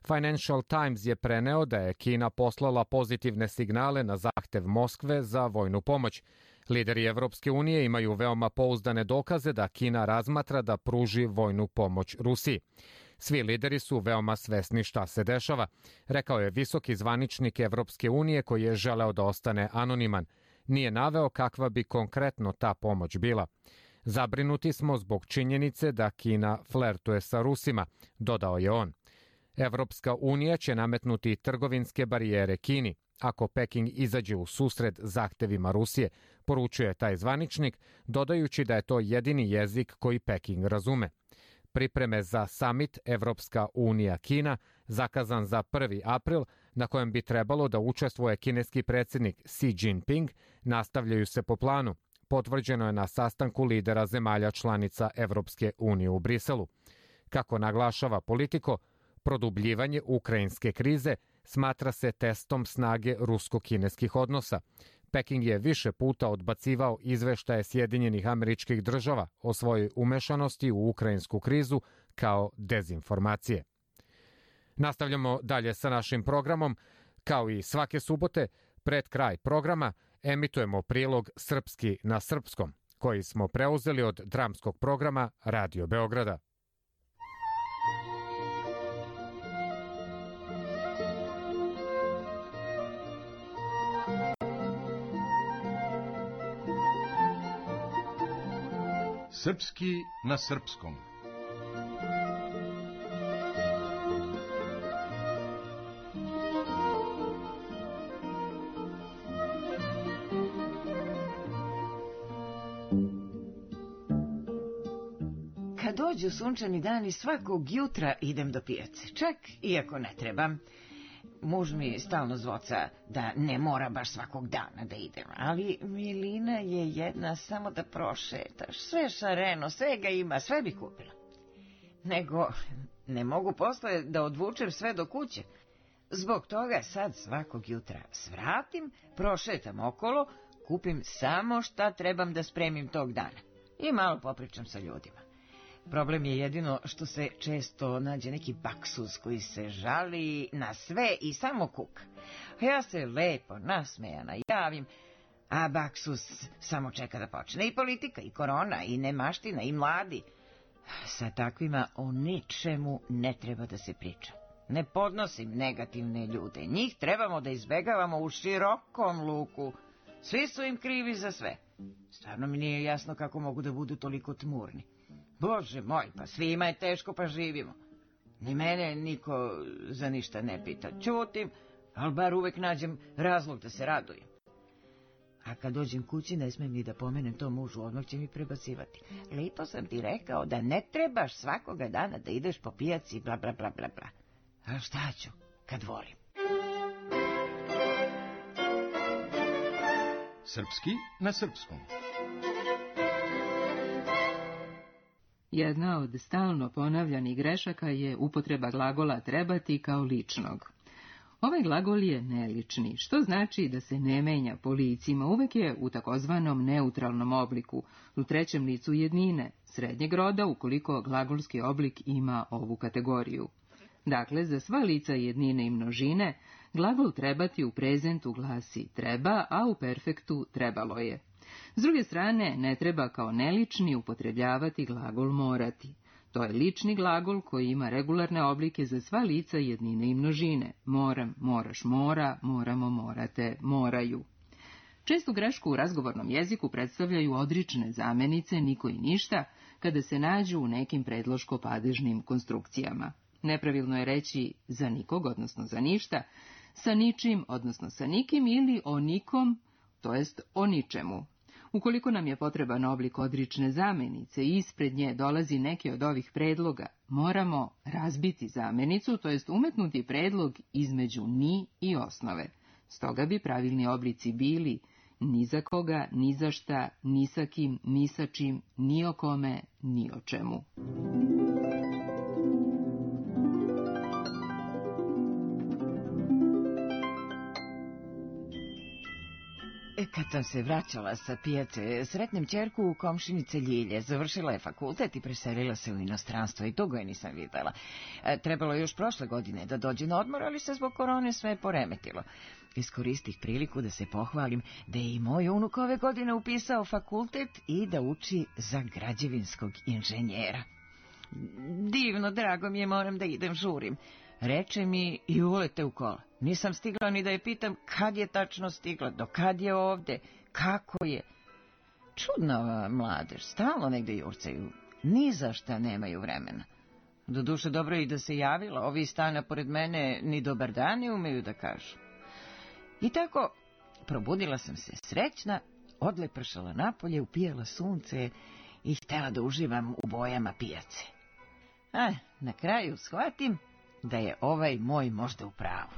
Financial Times je preneo da je Kina poslala pozitivne signale na zahtev Moskve za vojnu pomoć. Lideri Evropske unije imaju veoma pouzdane dokaze da Kina razmatra da pruži vojnu pomoć Rusiji. Svi lideri su veoma svesni šta se dešava, rekao je visoki zvaničnik Evropske unije koji je želeo da ostane anoniman. Nije naveo kakva bi konkretno ta pomoć bila. Zabrinuti smo zbog činjenice da Kina flertuje sa Rusima, dodao je on. Evropska unija će nametnuti trgovinske barijere Kini ako Peking izađe u susret zahtevima Rusije, poručuje taj zvaničnik, dodajući da je to jedini jezik koji Peking razume. Pripreme za samit Evropska unija-Kina, zakazan za 1. april, na kojem bi trebalo da učestvuje kineski predsjednik Xi Jinping, nastavljaju se po planu. Potvrđeno je na sastanku lidera zemalja članica Evropske unije u Briselu. Kako naglašava Politico, produbljivanje ukrajinske krize smatra se testom snage rusko-kineskih odnosa. Peking je više puta odbacivao izveštaje Sjedinjenih Američkih Država o svojoj umešanosti u ukrajinsku krizu kao dezinformacije. Nastavljamo dalje sa našim programom. Kao i svake subote, pred kraj programa emitujemo prilog Srpski na srpskom, koji smo preuzeli od dramskog programa Radio Beograda. Srpski na srpskom. Kad dođu sunčani dani, svakog jutra idem do pijace, čak iako ne trebam. Muž mi stalno zvoca da ne mora baš svakog dana da idem, ali Milina je jedna samo da prošetaš, sve šareno, svega ima, sve bi kupila. Nego ne mogu posle da odvučem sve do kuće. Zbog toga sad svakog jutra svratim, prošetam okolo, kupim samo šta trebam da spremim tog dana i malo popričam sa ljudima. Problem je jedino što se često nađe neki baksuz koji se žali na sve i samo kuka. Ja se lepo nasmejana javim, a baksuz samo čeka da počne. I politika, i korona, i nemaština, i mladi. Sa takvima o ničemu ne treba da se priča. Ne podnosim negativne ljude. Njih trebamo da izbegavamo u širokom luku. Svi su im krivi za sve. Stvarno mi nije jasno kako mogu da budu toliko tmurni. Bože moj, pa svima je teško, pa živimo. Ni mene niko za ništa ne pita. Ćutim, ali bar uvek nađem razlog da se radujem. A kad dođem kući, ne smijem ni da pomenem to mužu, odmah će mi prebacivati. Lepo sam ti rekao da ne trebaš svakoga dana da ideš po pijaci, bla, bla, bla, bla, bla. A šta ću, kad volim? Srpski na srpskom. Jedna od stalno ponavljanih grešaka je upotreba glagola trebati kao ličnog. Ovaj glagol je nelični, što znači da se ne menja po licima, uvek je u takozvanom neutralnom obliku, u trećem licu jednine, srednjeg roda ukoliko glagolski oblik ima ovu kategoriju. Dakle, za sva lica jednine i množine, glagol trebati u prezentu glasi treba, a u perfektu trebalo je. S druge strane, ne treba kao nelični upotrebljavati glagol morati. To je lični glagol koji ima regularne oblike za sva lica jednine i množine. Moram, moraš, mora, moramo, morate, moraju. Čestu grešku u razgovornom jeziku predstavljaju odrične zamenice niko i ništa kada se nađu u nekim predloško-padežnim konstrukcijama. Nepravilno je reći za nikog, odnosno za ništa, sa ničim, odnosno sa nikim ili o nikom, to jest o ničemu. Ukoliko nam je potreban oblik odrične zamenice i ispred nje dolazi neki od ovih predloga, moramo razbiti zamenicu, to jest umetnuti predlog između ni i osnove. Stoga bi pravilni oblici bili ni za koga, ni za šta, ni sa kim, ni sa čim, ni o kome, ni o čemu. Kad sam se vraćala sa pijace, sretnem ćerku u komšinice Ljilje. Završila je fakultet i preselila se u inostranstvo i dugo je nisam videla. Trebalo je još prošle godine da dođe na odmor, ali se zbog korone sve poremetilo. Iskoristih priliku da se pohvalim da je i moj unuk ove godine upisao fakultet i da uči za građevinskog inženjera. Divno, drago mi je, moram da idem, žurim. Reče mi i ulete u kola. Nisam stigla ni da je pitam kad je tačno stigla, do kad je ovde, kako je. Čudna ova mladež, stalno negde jurcaju, ni za šta nemaju vremena. Doduše dobro i da se javila, ovi stana pored mene ni dobar dan ne umeju da kažu. I tako, probudila sam se srećna, odlepršala napolje, upijala sunce i htela da uživam u bojama pijace. Na kraju shvatim da je ovaj moj možda u pravu.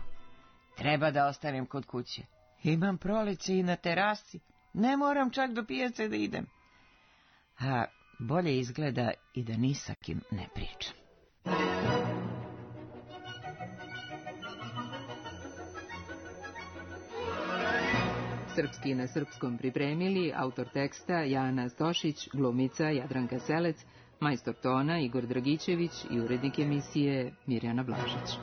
Treba da ostanem kod kuće. Imam proleće i na terasi. Ne moram čak do pijace da idem. A bolje izgleda i da ni sa kim ne pričam. Srpski na srpskom pripremili autor teksta Jana Stošić, glumica Jadranka Selec, majstor tona Igor Dragićević i urednik emisije Mirjana Blažić.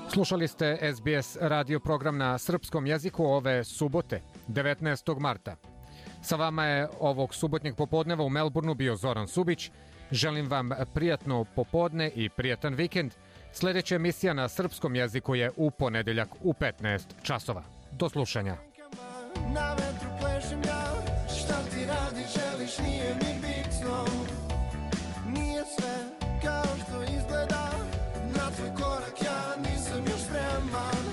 Slušali ste SBS radio program na srpskom jeziku ove subote, 19. marta. Sa vama je ovog subotnjeg popodneva u Melbourneu bio Zoran Subić. Želim vam prijatno popodne i prijatan vikend. Sljedeća emisija na srpskom jeziku je u ponedeljak u 15 časova. Do slušanja. Na vetru plešem ja, šta ti radi, želiš, nije mi bitno. Nije sve kao što izgleda, na tvoj korak ja nisam još spreman.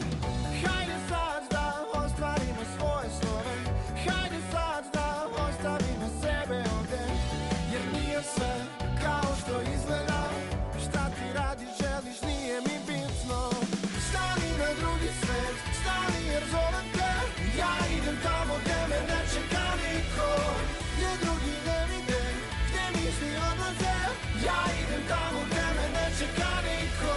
Hajde sad da ostvarimo svoje snove, hajde sad da ostavimo sebe ovde, jer nije sve kao što izgleda, šta ti radi, želiš, nije mi bitno. Stani na drugi svet, stani jer zovem te, ja idem tamo gde me ne čeka niko, gde drugi ne vide, gde misli odlaze, ja idem tamo gde me ne čeka niko.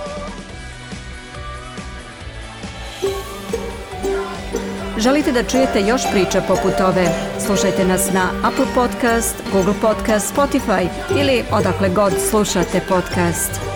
Želite da čujete još priča poput ove? Slušajte nas na Apple Podcast, Google Podcast, Spotify ili odakle god slušate podcast.